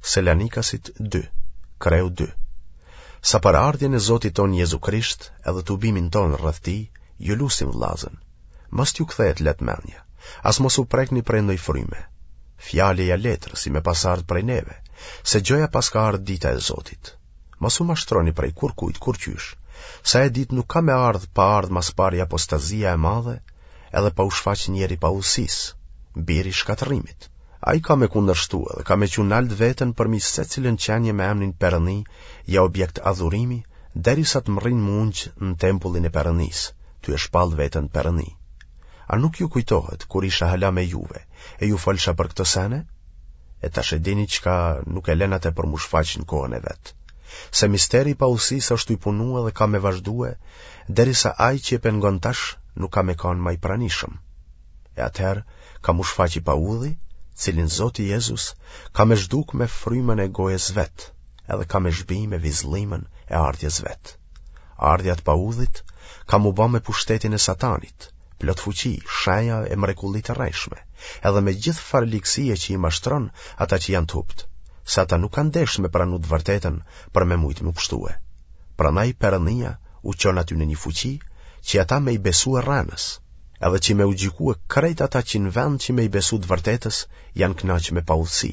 Selanikasit 2, kreu 2. Sa për ardhjen e Zotit tonë Jezu Krisht edhe tubimin tonë rreth tij, ju lusim vllazën. Mos t'ju kthehet lehtë mendja, as mos u prekni prej ndoj fryme. Fjale ja letre, si me pas ardhë prej neve, se gjoja paska ardhë dita e Zotit. Mos u mashtroni prej kurkujt kurqysh, se ajo ditë nuk ka me ardhë pa ardhë ma s'pari apostazia e madhe, edhe pa u shfaq njeri i paudhësisë, biri i shkatërrimit. Ai ka me kundërshtu edhe ka me çu nalt veten përmi secilën qenie me emnin Perëndi ja objekt adhurimi, derisa të mrrin m'u ungj në tempullin e Perëndisë, tu e shpallë veten Perëndi. A nuk ju kujtohet kur isha hala me juve e ju folsha për këto sene? E tash e dini çka nuk e len atë për m'u shfaq në kohën e vet. Se misteri i paudhësisë është tuj punue dhe ka me vazhdue, derisa ai që e pengon tash nuk ka me kanë ma i pranishëm. E atëherë ka m'u shfaq i paudhi, cilin Zoti Jezus ka me zhduk me frymën e gojës vet, edhe ka me zhbi me vizllimën e ardhjes vet. Ardhja e të paudhit ka m'u ba me pushtetin e satanit, plot fuqi, shenja e mrekulli të rrejshme, edhe me gjithfarë ligësie që i mashtron ata që janë të hupt, se ata nuk kanë deshtë me pranu të vërtetën për me mujtë me pshtue. Prandaj Perëndia u çon atyne një fuqi që ata me i besue rrenës, edhe që me u gjykue krejt ata që në vend që me i besu të vërtetës janë knaqë me paudhësi.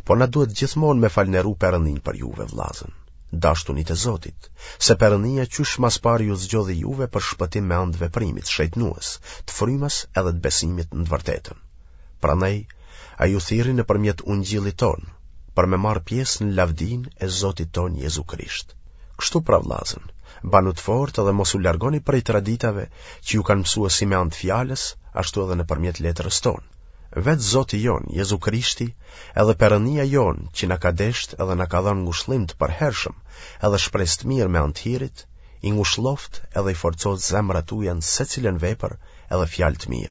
Po na duhet gjithmonë me falënderu Perëndinë për juve, vllazën, dashtunit e Zotit, se Perëndia qysh ma s'pari ju zgjodhi juve për shpëtim me anë të veprimit shejtnues, të frymës edhe të besimit në të vërtetën. Prandaj, ai ju thirri nëpërmjet ungjillit tonë, për me marrë pjesë në lavdinë e Zotit tonë Jezu Krisht. Kështu pra vllazën, banu të fortë dhe mos u largoni prej traditave që ju kanë mësue si me anë të fjalës, ashtu edhe nëpërmjet letrës tonë. Vetë Zoti jonë, Jezu Krishti, edhe Perëndia jonë, që na ka deshtë edhe na ka dhënë ngushllim të përhershëm, edhe shpresë të mirë me anë të hirit, i ngushlloftë edhe i forcoftë zemrat tuaja në secilën vepër edhe fjalë të mirë.